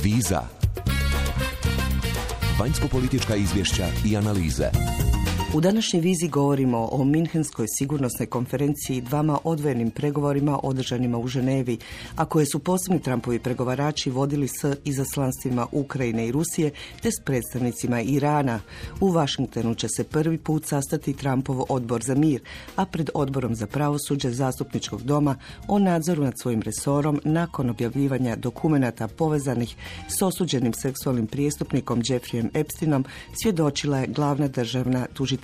Viza. Vanjsko-politička izvješća i analize. U današnjoj vizi govorimo o Minhenskoj sigurnosnoj konferenciji, dvama odvojenim pregovorima održanima u Ženevi, a koje su posebni Trumpovi pregovarači vodili s izaslanstvima Ukrajine i Rusije te s predstavnicima Irana. U Vašingtonu će se prvi put sastati Trumpov odbor za mir, a pred odborom za pravosuđe Zastupničkog doma o nadzoru nad svojim resorom nakon objavljivanja dokumenata povezanih s osuđenim seksualnim prijestupnikom Jeffreyem Epsteinom svjedočila je glavna državna tužiteljica.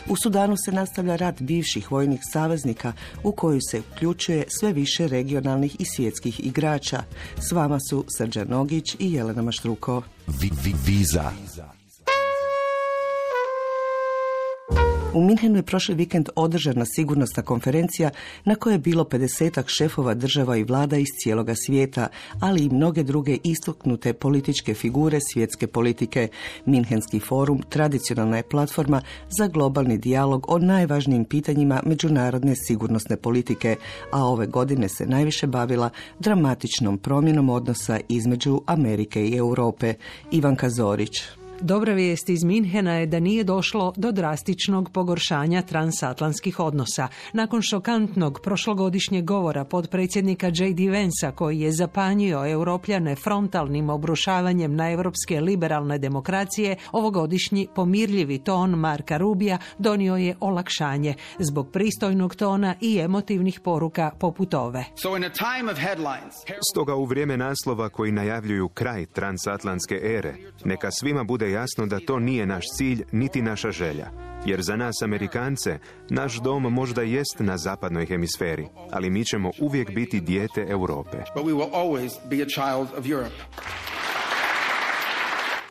U Sudanu se nastavlja rat bivših vojnih saveznika u koju se uključuje sve više regionalnih i svjetskih igrača. S vama su Srđan Nogić i Jelena Maštruko. Viza. U Minhenu je prošli vikend održana sigurnosna konferencija na kojoj je bilo 50-ak šefova država i vlada iz cijeloga svijeta, ali i mnoge druge istaknute političke figure svjetske politike. Minhenski forum tradicionalna je platforma za globalni dijalog o najvažnijim pitanjima međunarodne sigurnosne politike, a ove godine se najviše bavila dramatičnom promjenom odnosa između Amerike i Europe. Ivanka Zorić. Dobra vijest iz Minhena je da nije došlo do drastičnog pogoršanja transatlantskih odnosa. Nakon šokantnog prošlogodišnjeg govora potpredsjednika J.D. Vansa, koji je zapanjio Europljane frontalnim obrušavanjem na europske liberalne demokracije, ovogodišnji pomirljivi ton Marka Rubija donio je olakšanje zbog pristojnog tona i emotivnih poruka poput ove. Stoga u vrijeme naslova koji najavljuju kraj transatlantske ere, neka svima bude jasno da to nije naš cilj niti naša želja. Jer za nas Amerikance, naš dom možda jest na zapadnoj hemisferi, ali mi ćemo uvijek biti dijete Europe.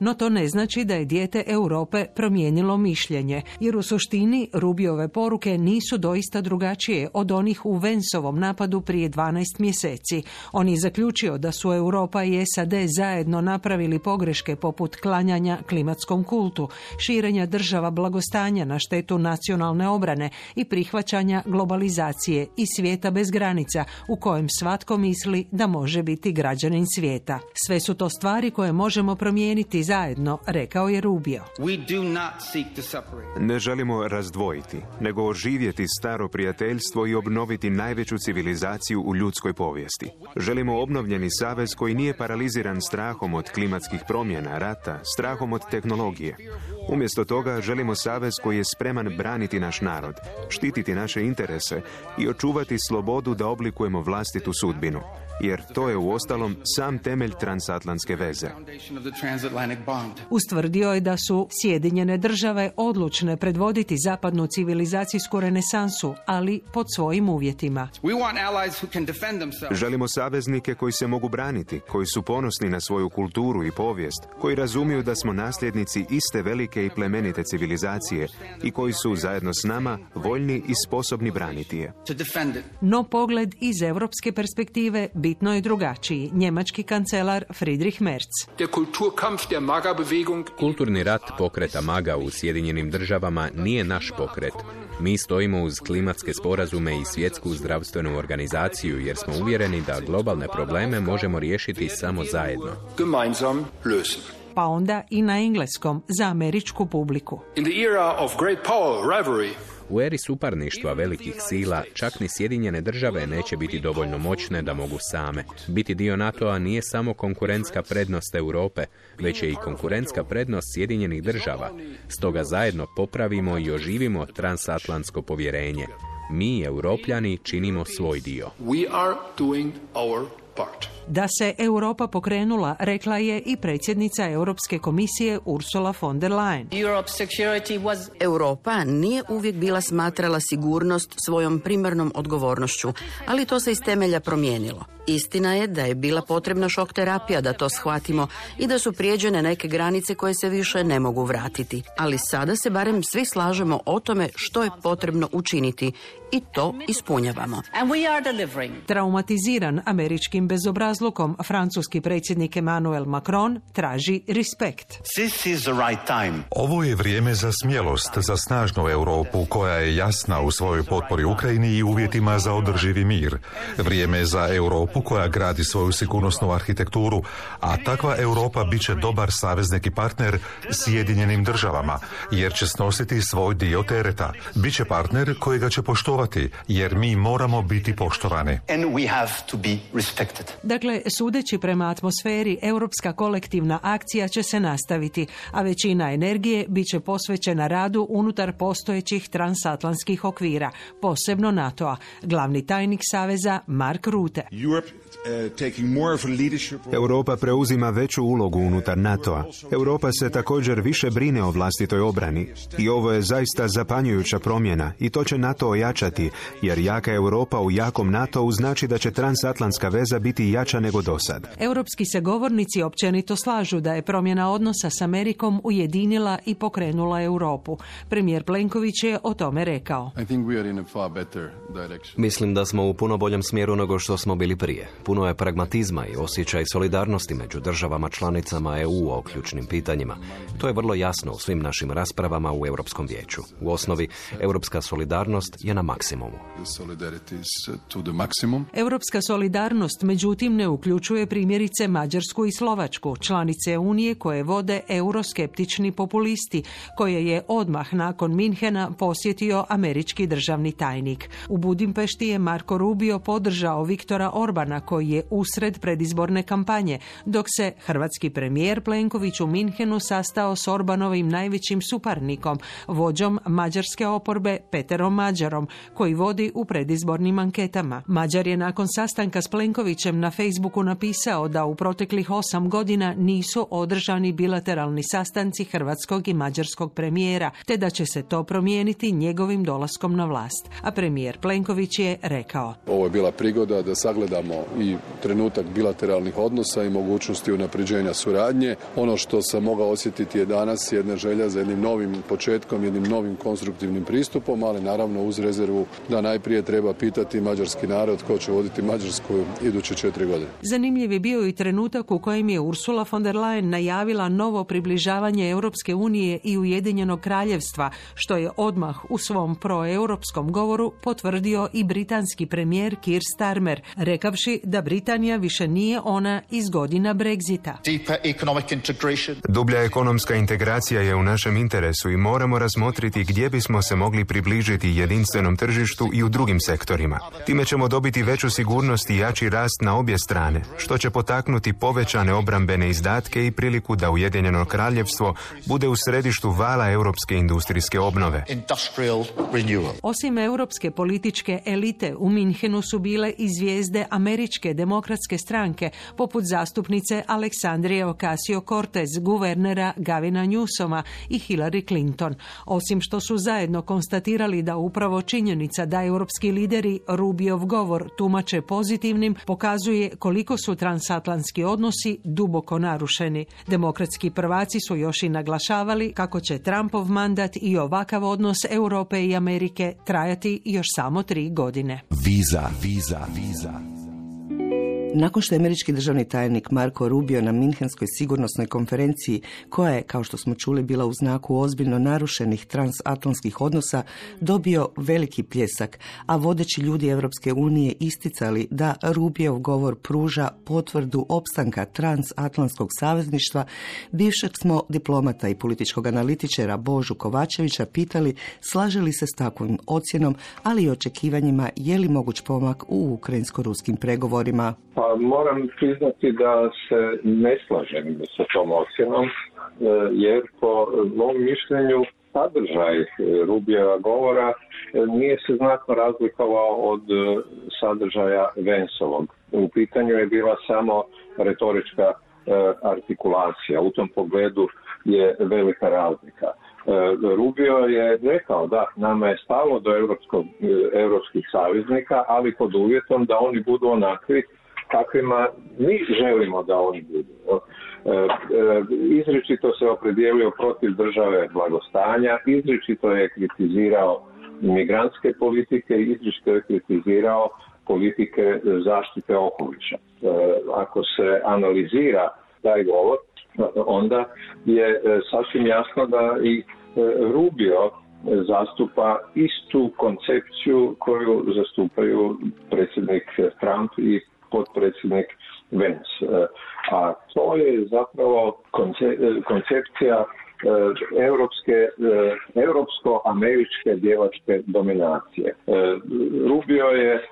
No to ne znači da je dijete Europe promijenilo mišljenje, jer u suštini Rubijove poruke nisu doista drugačije od onih u Vansovom napadu prije 12 mjeseci. On je zaključio da su Europa i SAD zajedno napravili pogreške poput klanjanja klimatskom kultu, širenja država blagostanja na štetu nacionalne obrane i prihvaćanja globalizacije i svijeta bez granica u kojem svatko misli da može biti građanin svijeta. Sve su to stvari koje možemo promijeniti zajedno, rekao je Rubio. Ne želimo razdvojiti, nego oživjeti staro prijateljstvo i obnoviti najveću civilizaciju u ljudskoj povijesti. Želimo obnovljeni savez koji nije paraliziran strahom od klimatskih promjena, rata, strahom od tehnologije. Umjesto toga želimo savez koji je spreman braniti naš narod, štititi naše interese i očuvati slobodu da oblikujemo vlastitu sudbinu. Jer to je uostalom sam temelj transatlantske veze. Ustvrdio je da su Sjedinjene države odlučne predvoditi zapadnu civilizacijsku renesansu, ali pod svojim uvjetima. Želimo saveznike koji se mogu braniti, koji su ponosni na svoju kulturu i povijest, koji razumiju da smo nasljednici iste velike i plemenite civilizacije i koji su zajedno s nama voljni i sposobni braniti je. No pogled iz europske perspektive bitno je drugačiji. Njemački kancelar Friedrich Merz. Kulturni rat pokreta MAGA u Sjedinjenim državama nije naš pokret. Mi stojimo uz klimatske sporazume i svjetsku zdravstvenu organizaciju jer smo uvjereni da globalne probleme možemo riješiti samo zajedno. Pa onda i na engleskom za američku publiku. U eri suparništva velikih sila, čak ni Sjedinjene države neće biti dovoljno moćne da mogu same. Biti dio NATO-a nije samo konkurentska prednost Europe, već je i konkurentska prednost Sjedinjenih država. Stoga zajedno popravimo i oživimo transatlantsko povjerenje. Mi, Europljani, činimo svoj dio. Da se Europa pokrenula, rekla je i predsjednica Europske komisije Ursula von der Leyen. Europa nije uvijek bila smatrala sigurnost svojom primarnom odgovornošću, ali to se iz temelja promijenilo. Istina je da je bila potrebna šok terapija da to shvatimo i da su prijeđene neke granice koje se više ne mogu vratiti. Ali sada se barem svi slažemo o tome što je potrebno učiniti i to ispunjavamo. Traumatiziran američkim bezobrazlukom bezobrazlukom francuski predsjednik Emmanuel Macron traži respekt. Ovo je vrijeme za smjelost, za snažnu Europu koja je jasna u svojoj potpori Ukrajini i uvjetima za održivi mir. Vrijeme za Europu koja gradi svoju sigurnosnu arhitekturu, a takva Europa bit će dobar saveznik i partner Sjedinjenim državama, jer će snositi svoj dio tereta. Biće partner kojega će poštovati, jer mi moramo biti poštovani. Dakle, sudeći prema atmosferi, europska kolektivna akcija će se nastaviti, a većina energije bit će posvećena radu unutar postojećih transatlantskih okvira, posebno NATO-a. Glavni tajnik Saveza Mark Rutte. Europa preuzima veću ulogu unutar NATO-a. Europa se također više brine o vlastitoj obrani. I ovo je zaista zapanjujuća promjena i to će NATO ojačati, jer jaka Europa u jakom NATO-u znači da će transatlantska veza biti jača nego dosad. Europski se govornici općenito slažu da je promjena odnosa s Amerikom ujedinila i pokrenula Europu. Premijer Plenković je o tome rekao. Mislim da smo u puno boljem smjeru nego što smo bili prije. Puno je pragmatizma i osjećaj solidarnosti među državama članicama EU o ključnim pitanjima. To je vrlo jasno u svim našim raspravama u Europskom vijeću. U osnovi, europska solidarnost je na maksimumu. Europska solidarnost, međutim, ne uključuje primjerice Mađarsku i Slovačku, članice Unije koje vode euroskeptični populisti, koje je odmah nakon Minhena posjetio američki državni tajnik. U Budimpešti je Marko Rubio podržao Viktora Orbana, koji je usred predizborne kampanje, dok se hrvatski premijer Plenković u Minhenu sastao s Orbanovim najvećim suparnikom, vođom mađarske oporbe Peterom Mađarom, koji vodi u predizbornim anketama. Mađar je nakon sastanka s Plenkovićem na Facebooku napisao da u proteklih 8 godina nisu održani bilateralni sastanci hrvatskog i mađarskog premijera, te da će se to promijeniti njegovim dolaskom na vlast. A premijer Plenković je rekao: Ovo je bila prigoda da sagledamo i trenutak bilateralnih odnosa i mogućnosti unapređenja suradnje. Ono što sam mogao osjetiti je danas jedna želja za jednim novim početkom, jednim novim konstruktivnim pristupom, ali naravno uz rezervu da najprije treba pitati mađarski narod ko će voditi Mađarsku iduće 4 godine. Zanimljiv je bio i trenutak u kojem je Ursula von der Leyen najavila novo približavanje Europske unije i Ujedinjenog kraljevstva, što je odmah u svom proeuropskom govoru potvrdio i britanski premijer Keir Starmer, rekavši da Britanija više nije ona iz godina Brexita. Dublja ekonomska integracija je u našem interesu i moramo razmotriti gdje bismo se mogli približiti jedinstvenom tržištu i u drugim sektorima. Time ćemo dobiti veću sigurnost i jači rast na obje strane, što će potaknuti povećane obrambene izdatke i priliku da Ujedinjeno kraljevstvo bude u središtu vala europske industrijske obnove. Osim europske političke elite, u Minhenu su bile i zvijezde američke demokratske stranke, poput zastupnice Aleksandrije Ocasio-Cortez, guvernera Gavina Newsoma i Hillary Clinton. Osim što su zajedno konstatirali da upravo činjenica da europski lideri Rubiov govor tumače pozitivnim, pokazuje koliko su transatlantski odnosi duboko narušeni. Demokratski prvaci su još i naglašavali kako će Trumpov mandat i ovakav odnos Europe i Amerike trajati još samo 3 godine. Viza. Nakon što je američki državni tajnik Marko Rubio na Minhenskoj sigurnosnoj konferenciji, koja je, kao što smo čuli, bila u znaku ozbiljno narušenih transatlantskih odnosa, dobio veliki pljesak, a vodeći ljudi Europske unije isticali da Rubiov govor pruža potvrdu opstanka transatlantskog savezništva, bivšeg smo diplomata i političkog analitičara Božu Kovačevića pitali slaže li se s takvim ocjenom, ali i očekivanjima je li moguć pomak u ukrajinsko-ruskim pregovorima. Pa moram priznati da se ne slažem sa tom ocjenom, jer po mom mišljenju sadržaj Rubijeva govora nije se znatno razlikovao od sadržaja Vanceovog. U pitanju je bila samo retorička artikulacija. U tom pogledu je velika razlika. Rubio je rekao da nama je stalo do europskih saveznika, ali pod uvjetom da oni budu onakvi kakvima mi želimo da oni budu. Izričito se opredijelio protiv države blagostanja, izričito je kritizirao migrantske politike, izričito je kritizirao politike zaštite okoliša. Ako se analizira taj govor, onda je sasvim jasno da i Rubio zastupa istu koncepciju koju zastupaju predsjednik Trump i potpredsjednik Vance. A to je zapravo koncepcija europsko-američke djevačke dominacije. Rubio je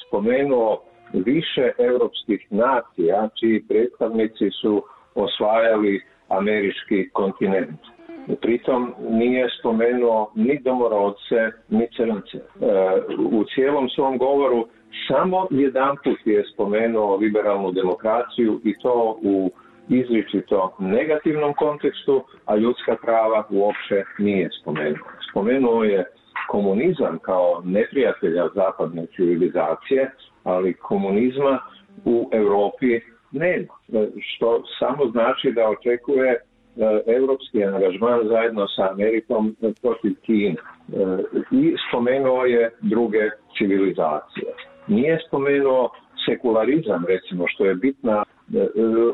spomenuo više europskih nacija čiji predstavnici su osvajali američki kontinent. Pritom nije spomenuo ni domorodce, ni crnce. U cijelom svom govoru samo jedanput je spomenuo liberalnu demokraciju i to u izričito negativnom kontekstu, a ljudska prava uopće nije spomenuo. Spomenuo je komunizam kao neprijatelja zapadne civilizacije, ali komunizma u Europi nema, što samo znači da očekuje europski angažman zajedno sa Amerikom protiv Kine. I spomenuo je druge civilizacije. Nije spomenuo sekularizam, recimo, što je bitna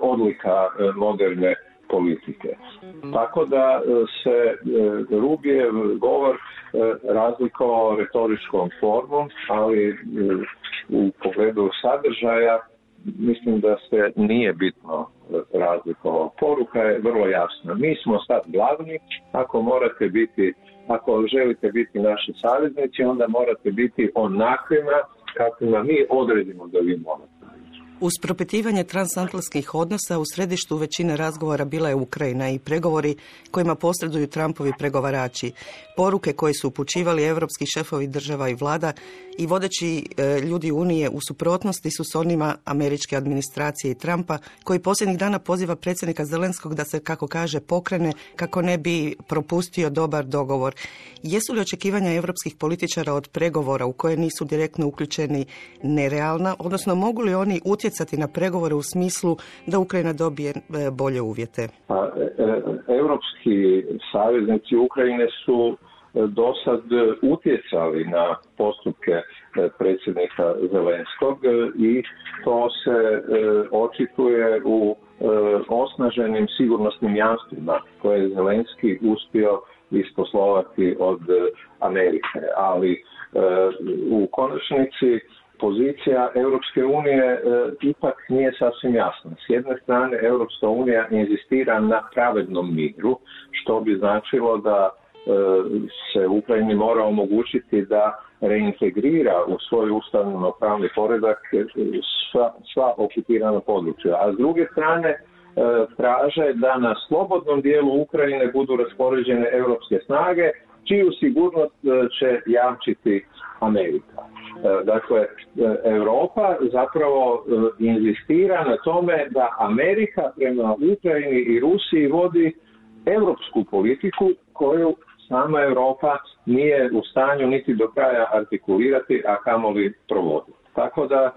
odlika moderne politike. Tako da se Rubijev govor razlikovao retoričkom formom, ali u pogledu sadržaja mislim da se nije bitno razlikovao. Poruka je vrlo jasna. Mi smo sad glavni, ako želite biti naši saveznici, onda morate biti onakvima kakvima mi odredimo da vi morate. Uz propitivanje transatlantskih odnosa u središtu većine razgovora bila je Ukrajina i pregovori kojima posreduju Trumpovi pregovarači. Poruke koje su upućivali europski šefovi država i vlada i vodeći ljudi Unije u suprotnosti su s onima američke administracije i Trumpa, koji posljednjih dana poziva predsjednika Zelenskog da se, kako kaže, pokrene kako ne bi propustio dobar dogovor. Jesu li očekivanja europskih političara od pregovora u koje nisu direktno uključeni nerealna, odnosno mogu li oni utjecati na pregovore u smislu da Ukrajina dobije bolje uvjete? Europski saveznici Ukrajine su do sad utjecali na postupke predsjednika Zelenskog i to se očituje u osnaženim sigurnosnim jamstvima koje je Zelenski uspio isposlovati od Amerike. Ali u konačnici pozicija Europske unije ipak nije sasvim jasna. S jedne strane, Europska unija inzistira na pravednom miru, što bi značilo da se Ukrajini mora omogućiti da reintegrira u svoj ustavno-pravni poredak sva okupirana područja. A s druge strane, traže da na slobodnom dijelu Ukrajine budu raspoređene europske snage, čiju sigurnost će jamčiti Amerika. Dakle, Europa zapravo inzistira na tome da Amerika prema Ukrajini i Rusiji vodi europsku politiku koju sama Europa nije u stanju niti do kraja artikulirati, a kamoli provoditi. Tako da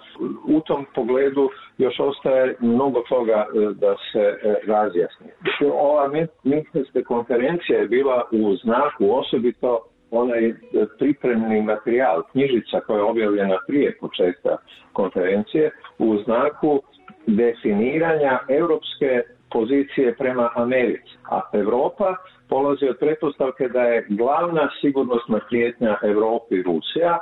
u tom pogledu još ostaje mnogo toga da se razjasni. Ova Minhenska konferencija je bila u znaku osobito onaj pripremni materijal, knjižica koja je objavljena prije početka konferencije, u znaku definiranja europske pozicije prema Americi. A Europa polazi od pretpostavke da je glavna sigurnosna prijetnja Europi Rusija,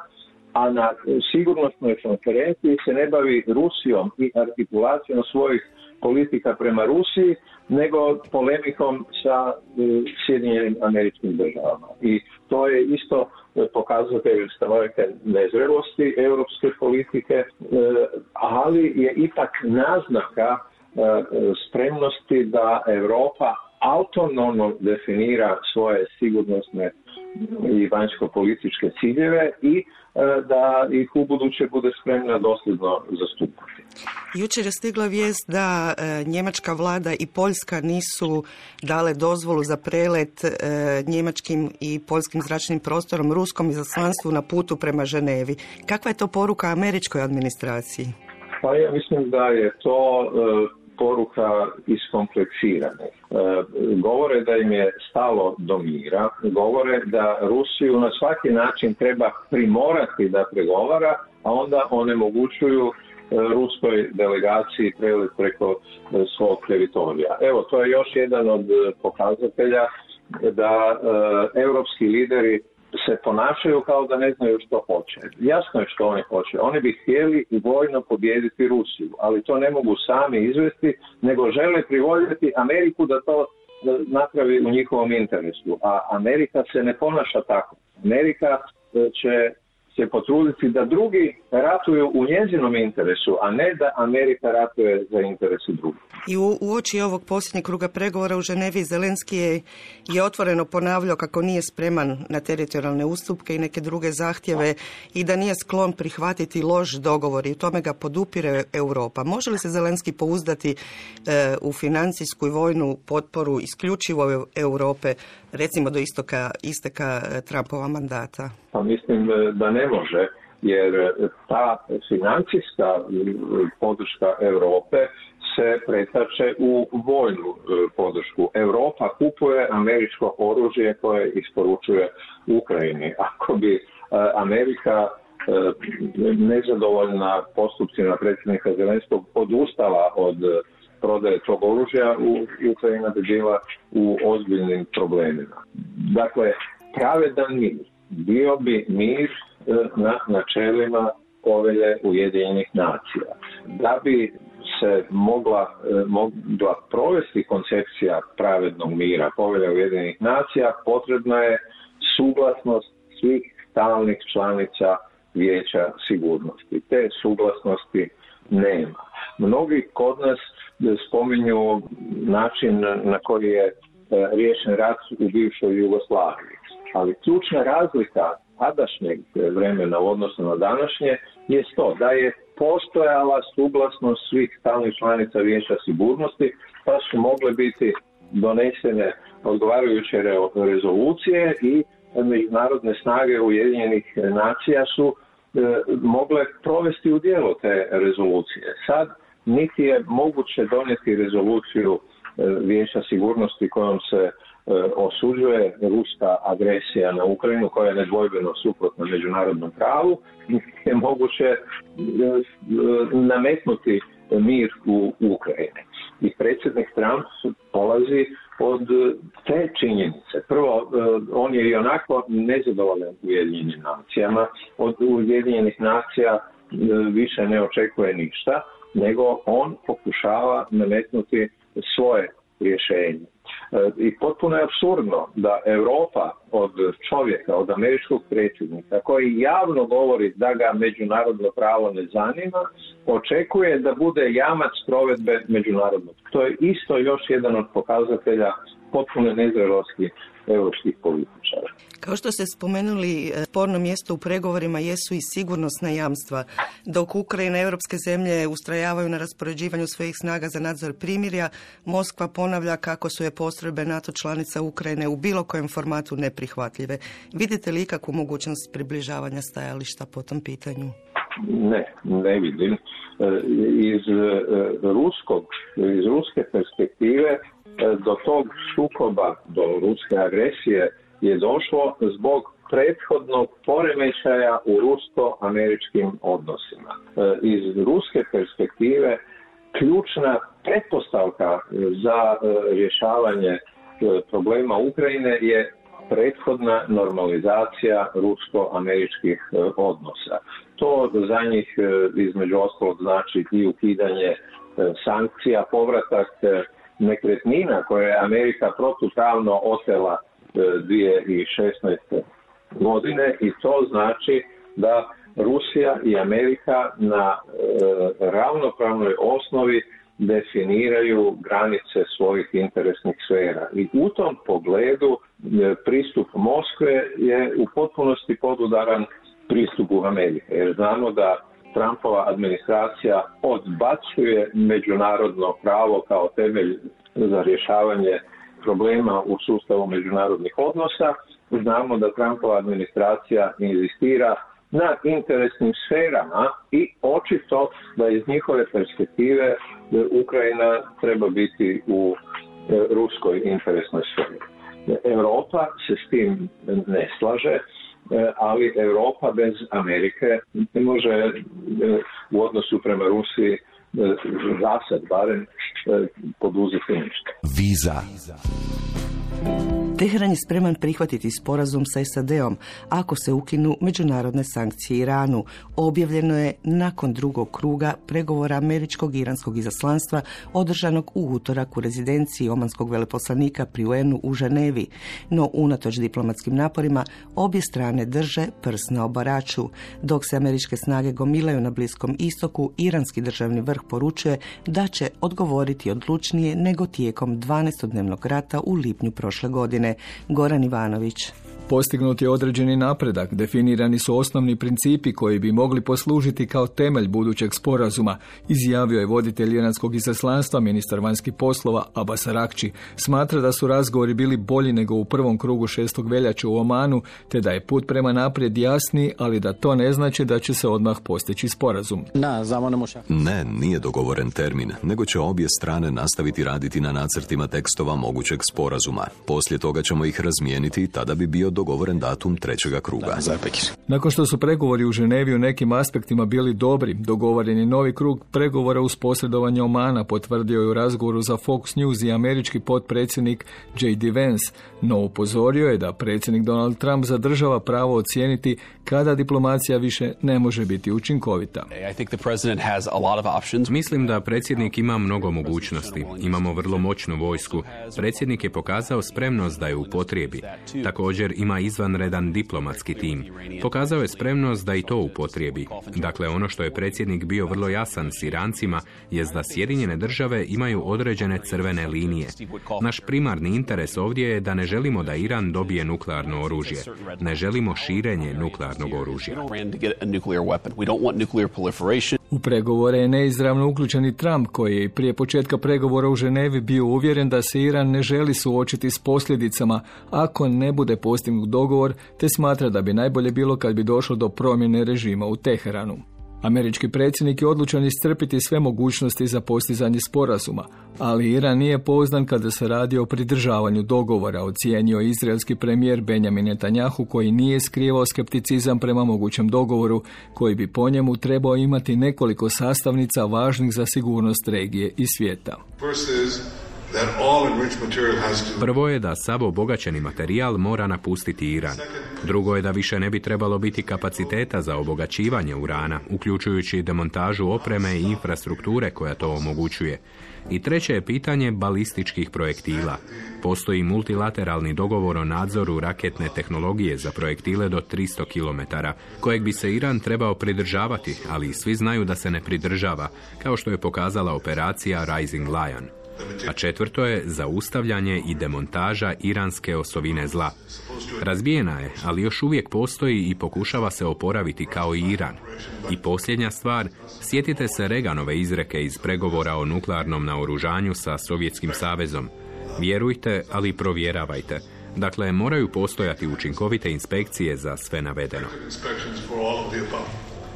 a na sigurnosnoj konferenciji se ne bavi Rusijom i artikulacijom svojih politika prema Rusiji, nego polemikom sa Sjedinjenim Američkim Državama. I to je isto pokazatelj stanovite nezrelosti europske politike, ali je ipak naznaka spremnosti da Europa autonomno definira svoje sigurnosne i vanjsko-političke ciljeve i da ih u buduće bude spremna dosljedno zastupati. Jučer je stigla vijest da njemačka vlada i Poljska nisu dale dozvolu za prelet njemačkim i poljskim zračnim prostorom ruskom izaslanstvu na putu prema Ženevi. Kakva je to poruka američkoj administraciji? Pa ja mislim da je to poruka iskompleksirane. Govore da im je stalo do mira, govore da Rusiju na svaki način treba primorati da pregovara, a onda onemogućuju ruskoj delegaciji prelet preko svog teritorija. Evo, to je još jedan od pokazatelja da europski lideri se ponašaju kao da ne znaju što hoće. Jasno je što oni hoće. Oni bi htjeli i vojno pobijediti Rusiju, ali to ne mogu sami izvesti, nego žele privoljeti Ameriku da to napravi u njihovom interesu. A Amerika se ne ponaša tako. Amerika će se potruditi da drugi ratuju u njezinom interesu, a ne da Amerika ratuje za interese drugih. I u oči ovog posljednjeg kruga pregovora u Ženevi Zelenski je otvoreno ponavljao kako nije spreman na teritorijalne ustupke i neke druge zahtjeve i da nije sklon prihvatiti loš dogovor i u tome ga podupire Europa. Može li se Zelenski pouzdati u financijsku i vojnu potporu isključivo Europe, recimo do isteka Trumpova mandata? Pa mislim da ne može, jer ta financijska podrška Europe se pretače u vojnu podršku. Europa kupuje američko oružje koje isporučuje Ukrajini. Ako bi Amerika nezadovoljna postupcima predsjednika Zelenskog odustala od prodaje tog oružja, Ukrajina bi bila u ozbiljnim problemima. Dakle, pravedan mir bio bi mir na načelima Povelje Ujedinjenih nacija. Da bi se mogla provesti koncepcija pravednog mira, Povelja Ujedinjenih nacija, potrebna je suglasnost svih stalnih članica Vijeća sigurnosti. Te suglasnosti nema. Mnogi kod nas spominju način na koji je riješen rat u bivšoj Jugoslaviji. Ali ključna razlika tadašnjeg vremena u odnosu na današnje je to da je postojala suglasnost svih stalnih članica Vijeća sigurnosti, pa su mogle biti donesene odgovarajuće rezolucije i međunarodne snage Ujedinjenih nacija su mogle provesti u djelo te rezolucije. Sad niti je moguće donijeti rezoluciju Vijeća sigurnosti kojom se osuđuje ruska agresija na Ukrajinu, koja je nedvojbeno suprotna međunarodnom pravu, je moguće nametnuti mir u Ukrajini. I predsjednik Trump polazi od te činjenice. Prvo, on je i onako nezadovoljan Ujedinjenim nacijama. Od Ujedinjenih nacija više ne očekuje ništa, nego on pokušava nametnuti svoje rješenje. I potpuno je apsurdno da Europa od čovjeka, od američkog predsjednika, koji javno govori da ga međunarodno pravo ne zanima, očekuje da bude jamac provedbe međunarodnog. To je isto još jedan od pokazatelja potpuno nezrelosti europskih političara. Kao što ste spomenuli, sporno mjesto u pregovorima jesu i sigurnosna jamstva. Dok Ukrajina i europske zemlje ustrajavaju na raspoređivanju svojih snaga za nadzor primirja, Moskva ponavlja kako su je postrojbe NATO članica Ukrajine u bilo kojem formatu neprihvatljive. Vidite li ikakvu mogućnost približavanja stajališta po tom pitanju? Ne vidim. Iz ruske perspektive do tog sukoba, do ruske agresije je došlo zbog prethodnog poremećaja u rusko-američkim odnosima. Iz ruske perspektive ključna pretpostavka za rješavanje problema Ukrajine je prethodna normalizacija rusko-američkih odnosa. To za njih između ostalog znači i ukidanje sankcija, povratak nekretnina koje je Amerika protupravno otela 2016. godine, i to znači da Rusija i Amerika na ravnopravnoj osnovi definiraju granice svojih interesnih sfera. I u tom pogledu pristup Moskve je u potpunosti podudaran pristupu Amerike, jer znamo da Trumpova administracija odbacuje međunarodno pravo kao temelj za rješavanje problema u sustavu međunarodnih odnosa. Znamo da Trumpova administracija inzistira na interesnim sferama i očito da iz njihove perspektive Ukrajina treba biti u ruskoj interesnoj sferi. Europa se s tim ne slaže ali Europa bez Amerike ne može u odnosu prema Rusiji za sad barem poduzeti ništa. Viza. Teheran je spreman prihvatiti sporazum sa SAD-om ako se ukinu međunarodne sankcije Iranu. Objavljeno je nakon drugog kruga pregovora američkog i iranskog izaslanstva održanog u utorak u rezidenciji omanskog veleposlanika pri UN-u u Ženevi. No, unatoč diplomatskim naporima, obje strane drže prst na obaraču. Dok se američke snage gomilaju na Bliskom istoku, iranski državni vrh poručuje da će odgovoriti odlučnije nego tijekom 12-dnevnog rata u lipnju prošle godine. Goran Ivanović. Postignut je određeni napredak, definirani su osnovni principi koji bi mogli poslužiti kao temelj budućeg sporazuma, izjavio je voditelj iranskog izaslanstva, ministar vanjskih poslova Abbas Araghči. Smatra da su razgovori bili bolji nego u prvom krugu 6. veljače u Omanu, te da je put prema naprijed jasniji, ali da to ne znači da će se odmah postići sporazum. Ne, nije dogovoren termin, nego će obje strane nastaviti raditi na nacrtima tekstova mogućeg sporazuma. Poslije toga ćemo ih razmijeniti, tada bi bio dogovoren datum trećega kruga. Nakon što su pregovori u Ženevi u nekim aspektima bili dobri, dogovoren je novi krug pregovora uz posredovanje Omana, potvrdio je u razgovoru za Fox News i američki potpredsjednik J.D. Vance, no upozorio je da predsjednik Donald Trump zadržava pravo ocijeniti kada diplomacija više ne može biti učinkovita. Mislim da predsjednik ima mnogo mogućnosti. Imamo vrlo moćnu vojsku. Predsjednik je pokazao spremnost da je upotrijebi. Također ima izvanredan diplomatski tim. Pokazao je spremnost da i to upotrijebi. Dakle, ono što je predsjednik bio vrlo jasan s Irancima je da Sjedinjene države imaju određene crvene linije. Naš primarni interes ovdje je da ne želimo da Iran dobije nuklearno oružje. Ne želimo širenje nuklearnog oružja. U pregovore je neizravno uključen i Trump, koji je prije početka pregovora u Ženevi bio uvjeren da se Iran ne želi suočiti s posljedicama ako ne bude postignut dogovor, te smatra da bi najbolje bilo kad bi došlo do promjene režima u Teheranu. Američki predsjednik je odlučan iscrpiti sve mogućnosti za postizanje sporazuma, ali Iran nije pouzdan kada se radi o pridržavanju dogovora, ocijenio izraelski premijer Benjamin Netanjahu, koji nije skrivao skepticizam prema mogućem dogovoru, koji bi po njemu trebao imati nekoliko sastavnica važnih za sigurnost regije i svijeta. Prvo je da sav obogaćeni materijal mora napustiti Iran. Drugo je da više ne bi trebalo biti kapaciteta za obogaćivanje urana, uključujući demontažu opreme i infrastrukture koja to omogućuje. I treće je pitanje balističkih projektila. Postoji multilateralni dogovor o nadzoru raketne tehnologije za projektile do 300 km, kojeg bi se Iran trebao pridržavati, ali svi znaju da se ne pridržava, kao što je pokazala operacija Rising Lion. A četvrto je zaustavljanje i demontaža iranske osovine zla. Razbijena je, ali još uvijek postoji i pokušava se oporaviti kao i Iran. I posljednja stvar, sjetite se Reaganove izreke iz pregovora o nuklearnom naoružanju sa Sovjetskim savezom. Vjerujte, ali provjeravajte. Dakle, moraju postojati učinkovite inspekcije za sve navedeno.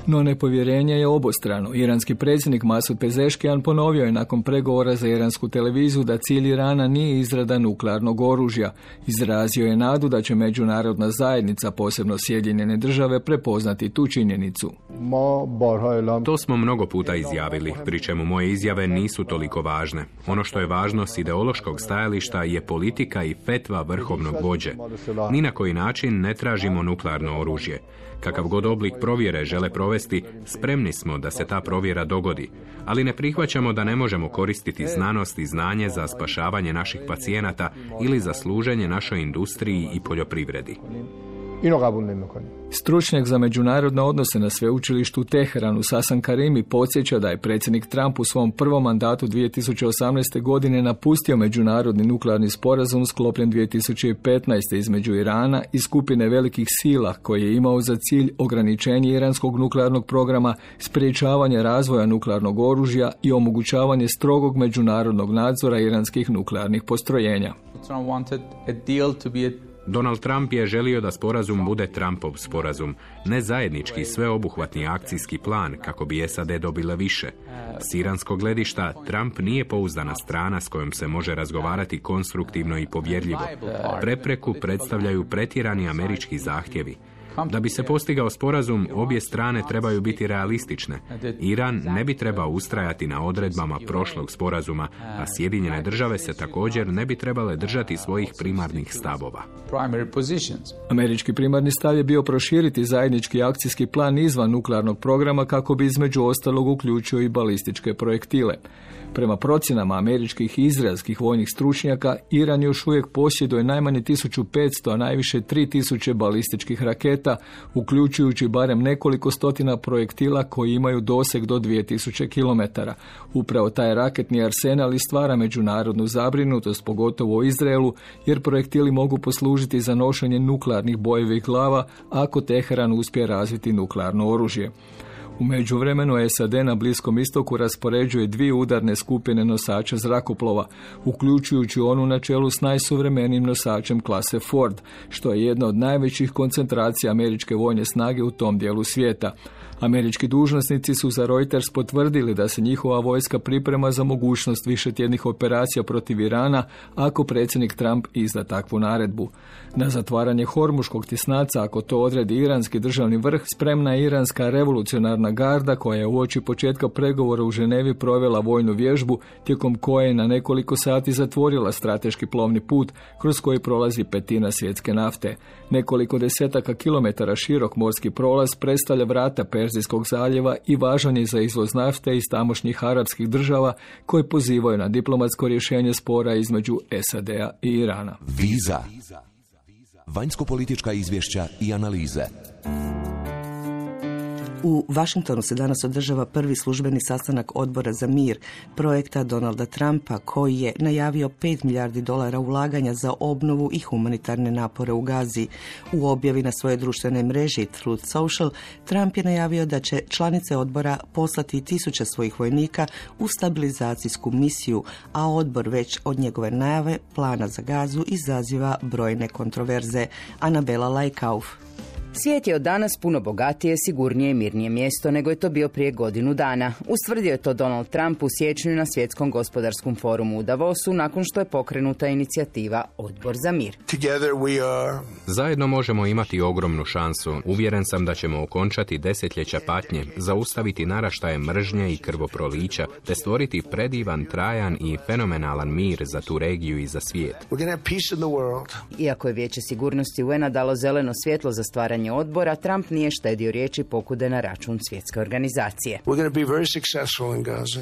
No nepovjerenje je obostrano. Iranski predsjednik Masud Pezeshkian ponovio je nakon pregovora za iransku televiziju da cilj Irana nije izrada nuklearnog oružja. Izrazio je nadu da će međunarodna zajednica, posebno Sjedinjene države, prepoznati tu činjenicu. To smo mnogo puta izjavili, pri čemu moje izjave nisu toliko važne. Ono što je važno s ideološkog stajališta je politika i fetva vrhovnog vođe. Ni na koji način ne tražimo nuklearno oružje. Kakav god oblik provjere žele provesti, spremni smo da se ta provjera dogodi, ali ne prihvaćamo da ne možemo koristiti znanost i znanje za spašavanje naših pacijenata ili za služenje našoj industriji i poljoprivredi. Stručnjak za međunarodne odnose na sveučilištu u Teheranu Hasan Karimi podsjeća da je predsjednik Trump u svom prvom mandatu 2018. godine napustio međunarodni nuklearni sporazum sklopljen 2015. između Irana i skupine velikih sila koji je imao za cilj ograničenje iranskog nuklearnog programa, spriječavanje razvoja nuklearnog oružja i omogućavanje strogog međunarodnog nadzora iranskih nuklearnih postrojenja. Donald Trump je želio da sporazum bude Trumpov sporazum, ne zajednički sveobuhvatni akcijski plan kako bi SAD dobile više. S iranskog gledišta, Trump nije pouzdana strana s kojom se može razgovarati konstruktivno i povjerljivo. Prepreku predstavljaju pretjerani američki zahtjevi. Da bi se postigao sporazum, obje strane trebaju biti realistične. Iran ne bi trebao ustrajati na odredbama prošlog sporazuma, a Sjedinjene države se također ne bi trebale držati svojih primarnih stavova. Američki primarni stav je bio proširiti zajednički akcijski plan izvan nuklearnog programa kako bi između ostalog uključio i balističke projektile. Prema procjenama američkih i izraelskih vojnih stručnjaka, Iran još uvijek posjeduje najmanje 1500, a najviše 3000 balističkih raketa, uključujući barem nekoliko stotina projektila koji imaju doseg do 2000 km. Upravo taj raketni arsenal i stvara međunarodnu zabrinutost, pogotovo u Izraelu, jer projektili mogu poslužiti za nošenje nuklearnih bojevih glava ako Teheran uspije razviti nuklearno oružje. U međuvremenu SAD na Bliskom istoku raspoređuje 2 udarne skupine nosača zrakoplova, uključujući onu na čelu s najsuvremenijim nosačem klase Ford, što je jedna od najvećih koncentracija američke vojne snage u tom dijelu svijeta. Američki dužnosnici su za Reuters potvrdili da se njihova vojska priprema za mogućnost višetjednih operacija protiv Irana ako predsjednik Trump izda takvu naredbu. Na zatvaranje Hormuškog tjesnaca, ako to odredi iranski državni vrh, spremna je iranska revolucionarna garda koja je uoči početka pregovora u Ženevi provela vojnu vježbu tijekom koje je na nekoliko sati zatvorila strateški plovni put kroz koji prolazi petina svjetske nafte. Nekoliko desetaka kilometara širok morski prolaz predstavlja vrata Perzijskog zaljeva i važan je za izvoz nafte iz tamošnjih arapskih država koji pozivaju na diplomatsko rješenje spora između SAD-a i Irana. Viza. Vanjsko-politička izvješća i analize. U Vašingtonu se danas održava prvi službeni sastanak Odbora za mir projekta Donalda Trumpa koji je najavio $5 milijardi ulaganja za obnovu i humanitarne napore u Gazi. U objavi na svojoj društvenoj mreži Truth Social, Trump je najavio da će članice odbora poslati 1000 svojih vojnika u stabilizacijsku misiju, a odbor već od njegove najave plana za Gazu izaziva brojne kontroverze. Anabela Lajkauf. Svijet je od danas puno bogatije, sigurnije i mirnije mjesto nego je to bio prije godinu dana. Ustvrdio je to Donald Trump u siječnju na Svjetskom gospodarskom forumu u Davosu nakon što je pokrenuta inicijativa Odbor za mir. Zajedno možemo imati ogromnu šansu. Uvjeren sam da ćemo okončati desetljeća patnje, zaustaviti naraštaje mržnje i krvoprolića, te stvoriti predivan, trajan i fenomenalan mir za tu regiju i za svijet. Iako je Vijeće sigurnosti UN-a dalo zeleno svjetlo za stvaranje odbora, Trump nije štedio riječi pokude na račun svjetske organizacije.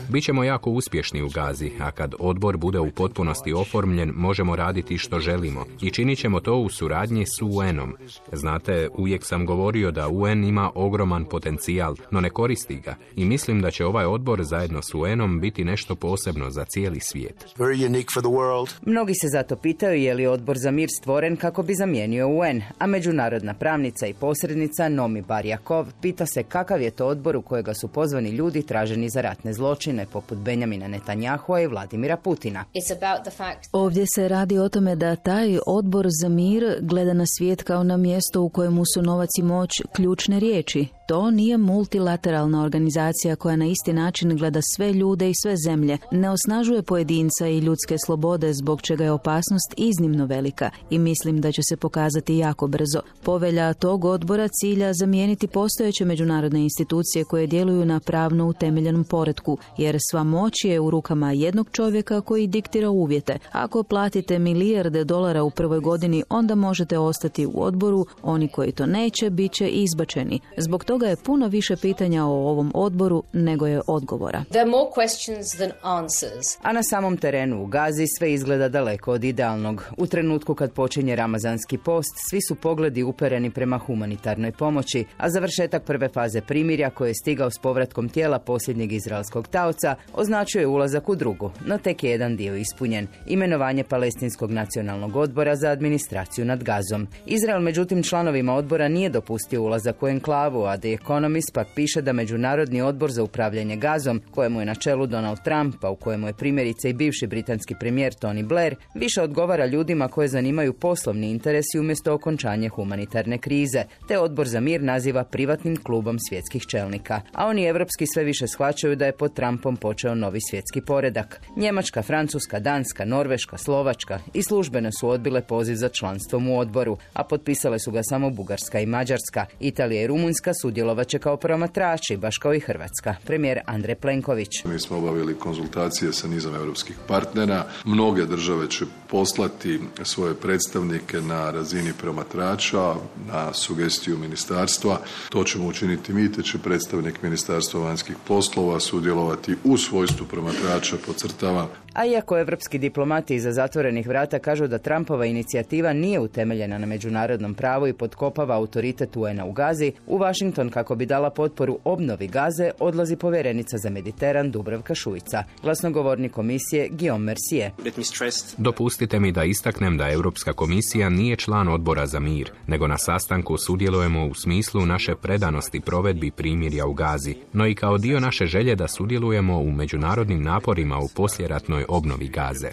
Bićemo jako uspješni u Gazi, a kad odbor bude u potpunosti oformljen, možemo raditi što želimo i činit ćemo to u suradnji s UN-om. Znate, uvijek sam govorio da UN ima ogroman potencijal, no ne koristi ga i mislim da će ovaj odbor zajedno s UN-om biti nešto posebno za cijeli svijet. Mnogi se zato pitaju je li odbor za mir stvoren kako bi zamijenio UN, a međunarodna pravnica i posrednica Nomi Barjakov pita se kakav je to odbor u kojega su pozvani ljudi traženi za ratne zločine poput Benjamina Netanjahua i Vladimira Putina. Ovdje se radi o tome da taj odbor za mir gleda na svijet kao na mjesto u kojemu su novac i moć ključne riječi. To nije multilateralna organizacija koja na isti način gleda sve ljude i sve zemlje, ne osnažuje pojedinca i ljudske slobode zbog čega je opasnost iznimno velika i mislim da će se pokazati jako brzo. Povelja tog odbora cilja zamijeniti postojeće međunarodne institucije koje djeluju na pravno utemeljenom poretku, jer sva moć je u rukama jednog čovjeka koji diktira uvjete. Ako platite milijarde dolara u prvoj godini, onda možete ostati u odboru, oni koji to neće, bit će izbačeni. Zbog toga je puno više pitanja o ovom odboru nego je odgovora. A na samom terenu u Gazi sve izgleda daleko od idealnog. U trenutku kad počinje ramazanski post, svi su pogledi upereni prema humanitarnoj pomoći, a završetak prve faze primirja koji je stigao s povratkom tijela posljednjeg izraelskog taoca označuje ulazak u drugu, no tek je jedan dio ispunjen. Imenovanje Palestinskog nacionalnog odbora za administraciju nad Gazom. Izrael međutim članovima odbora nije dopustio ulazak u enklavu, a The Economist pak piše da Međunarodni odbor za upravljanje Gazom, kojemu je na čelu Donald Trump, a u kojemu je primjerice i bivši britanski premijer Tony Blair, više odgovara ljudima koje zanimaju poslovni interesi umjesto okončanje humanitarne krize. krize, te odbor za mir naziva privatnim klubom svjetskih čelnika. A oni evropski sve više shvaćaju da je pod Trumpom počeo novi svjetski poredak. Njemačka, Francuska, Danska, Norveška, Slovačka i službeno su odbile poziv za članstvom u odboru, a potpisale su ga samo Bugarska i Mađarska. Italija i Rumunjska sudjelovat će kao promatrači, baš kao i Hrvatska. Premijer Andrej Plenković. Mi smo obavili konzultacije sa nizom europskih partnera. Mnoge države će poslati svoje predstavnike na razini promatrača, na sugestiju ministarstva. To ćemo učiniti mi, te će predstavnik Ministarstva vanjskih poslova sudjelovati u svojstvu promatrača, podcrtavam. A iako evropski diplomati iza zatvorenih vrata kažu da Trumpova inicijativa nije utemeljena na međunarodnom pravu i potkopava autoritet UN-a u Gazi, u Washington, kako bi dala potporu obnovi Gaze, odlazi povjerenica za Mediteran Dubravka Šuica. Glasnogovornik komisije Guillaume Mercier. Dopustite mi da istaknem da Europska komisija nije član odbora za mir, nego na sastanku sudjelujemo u smislu naše predanosti provedbi primirja u Gazi, no i kao dio naše želje da sudjelujemo u međunarodnim naporima u poslijeratnoj obnovi Gaze.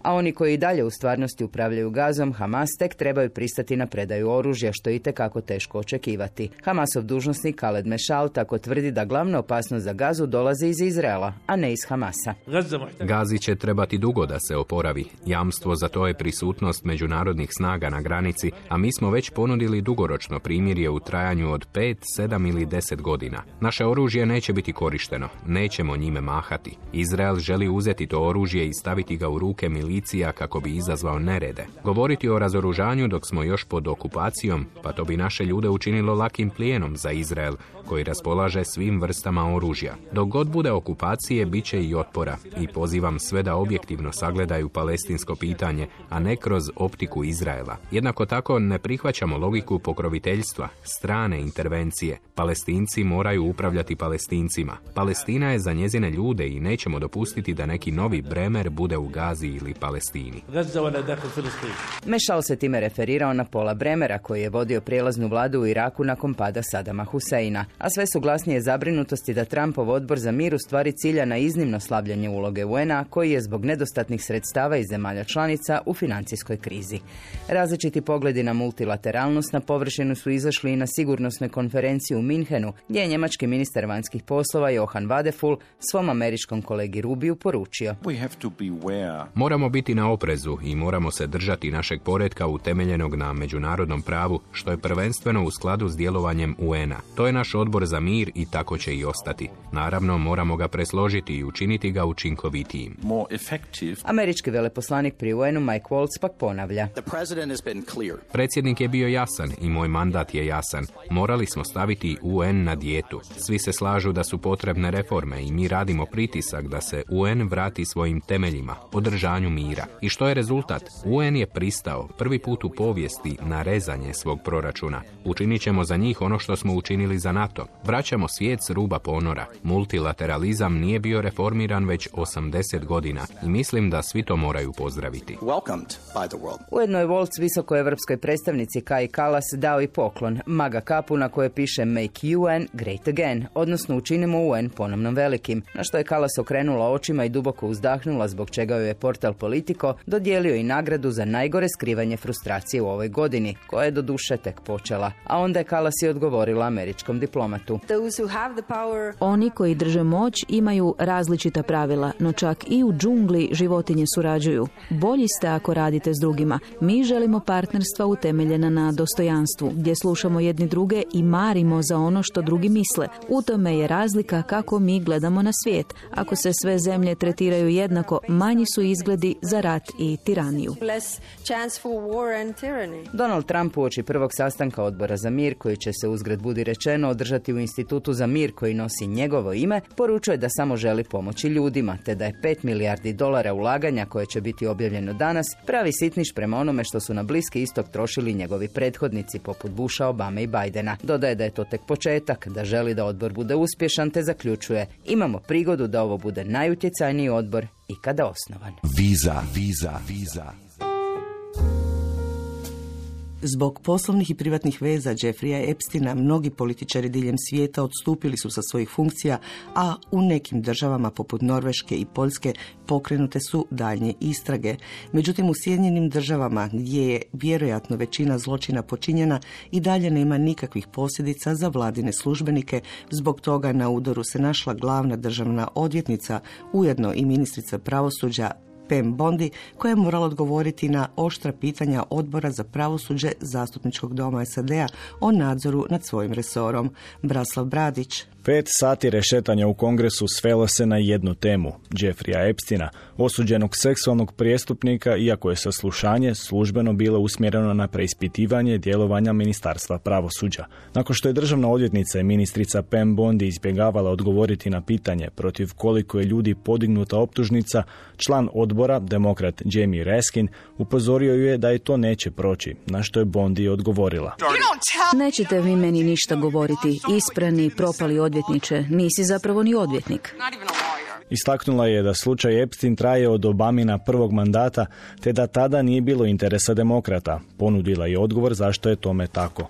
A oni koji i dalje u stvarnosti upravljaju Gazom, Hamas, tek trebaju pristati na predaju oružja, što je itekako teško očekivati. Hamasov dužnosnik Khaled Meshal tako tvrdi da glavna opasnost za Gazu dolazi iz Izraela, a ne iz Hamasa. Gazi će trebati dugo da se oporavi. Jamstvo za to je prisutnost međunarodnih snaga na granici, a mi smo već ponudili dugoročno primirje u trajanju od 5, 7 ili 10 godina. Naše oružje neće biti korišteno, nećemo njime mahati. Izrael želi uzeti to oružje i staviti ga u ruke milicija kako bi izazvao nerede. Govoriti o razoružanju dok smo još pod okupacijom, pa to bi naše ljude učinilo lakim plijenom za Izrael, koji raspolaže svim vrstama oružja. Dok god bude okupacije, bit će i otpora i pozivam sve da objektivno sagledaju palestinsko pitanje, a ne kroz optiku Izraela. Jednako tako ne prihvaćamo logiku pokroviteljstva, strane intervencije. Palestinci moraju upravljati Palestincima. Palestina je za njezine ljude i nećemo dopustiti da neki novi Bremer bude u Gazi ili Palestini. Mešal se time referirao na Paula Bremera, koji je vodio prijelaznu vladu u Iraku nakon pada Sadama Huseina. A sve su glasnije zabrinutosti da Trumpov odbor za mir u stvari cilja na iznimno slabljenje uloge UN-a, koji je zbog nedostatnih sredstava iz zemalja članica u financijskoj krizi. Različiti pogledi na multilateralnost na površinu su izašli i na sigurnosnoj konferenciji u Minhenu, gdje je njemački ministar vanjskih poslova Johann Wadephul svom američkom kolegi Rubiju poručio: Moramo biti na oprezu i moramo se držati našeg poretka utemeljenog na međunarodnom pravu, što je prvenstveno u skladu s djelovanjem UN-a. To je naš odbor za mir i tako će i ostati. Naravno, moramo ga presložiti i učiniti ga učinkovitijim. Američki veleposlanik pri UN-u Mike Waltz pak ponavlja: Predsjednik je bio jasan i moj mandat je jasan. Morali smo staviti UN na dijetu. Svi se slažu da su potrebne reforme i mi radimo pritisak da se UN vrati svojim temeljima, održanju mira. I što je rezultat? UN je pristao prvi put u povijesti na rezanje svog proračuna. Učinit ćemo za njih ono što smo učinili za NATO. Vraćamo svijet s ruba ponora. Multilateralizam nije bio reformiran već 80 godina i mislim da svi to moraju pozdraviti. Ujedno je Waltz visokoevropskoj predstavnici Kaji Kallas dao i poklon, maga kapu na koje piše Make UN Great Again, odnosno učinimo UN ponovno velikim, na što je Kallas okrenula očima i duboko uzdahnula, zbog čega joj je portal Politico dodijelio i nagradu za najgore skrivanje frustracije u ovoj godini, koja je doduše tek počela. A onda je Kallas i odgovorila američkom diplomatu: Oni koji drže moć imaju različita pravila, no čak i u džungli životinje surađuju. Bolji ste ako radite s drugima. Mi želimo partnerstva utemeljena na dostojanstvu, gdje slušamo jedni druge i marimo za ono što drugi misle. U tome je razlika kako mi gledamo na svijet. Ako se sve zemlje tretiraju jednako, manji su izgledi za rat i tiraniju. Donald Trump uoči prvog sastanka odbora za mir, koji će se uzgred budi rečeno održati u Institutu za mir koji nosi njegovo ime, poručuje da samo želi pomoći ljudima, te da je $5 milijardi ulaganja koje će biti objavljeno danas pravi sitniš prema onome što su na Bliski istok trošili njegovi prethodnici poput Busha, Obame i Bidena. Dodaje da je to tek početak, da želi da odbor bude uspješan, te zaključuje: imamo prigodu da ovo bude najutjecajniji odbor ikada osnovan. Viza. Zbog poslovnih i privatnih veza Jeffreya Epsteina mnogi političari diljem svijeta odstupili su sa svojih funkcija, a u nekim državama poput Norveške i Poljske pokrenute su daljnje istrage. Međutim, u Sjedinjenim državama, gdje je vjerojatno većina zločina počinjena, i dalje nema nikakvih posljedica za vladine službenike. Zbog toga na udaru se našla glavna državna odvjetnica, ujedno i ministrica pravosuđa Pam Bondi, koja je morala odgovoriti na oštra pitanja Odbora za pravosuđe Zastupničkog doma SAD-a o nadzoru nad svojim resorom. Braslav Bradić. 5 sati rešetanja u Kongresu svelo se na jednu temu, Jeffreya Epsteina, osuđenog seksualnog prijestupnika, iako je saslušanje službeno bilo usmjereno na preispitivanje djelovanja Ministarstva pravosuđa. Nakon što je državna odvjetnica i ministrica Pam Bondi izbjegavala odgovoriti na pitanje protiv koliko je ljudi podignuta optužnica, član odbora, demokrat Jamie Raskin, upozorio ju je da je to neće proći, na što je Bondi odgovorila. Nećete vi meni ništa govoriti, isprani, propali odvjetniče, nisi zapravo ni odvjetnik. Istaknula je da slučaj Epstein traje od Obamina prvog mandata, te da tada nije bilo interesa demokrata. Ponudila je odgovor zašto je tome tako.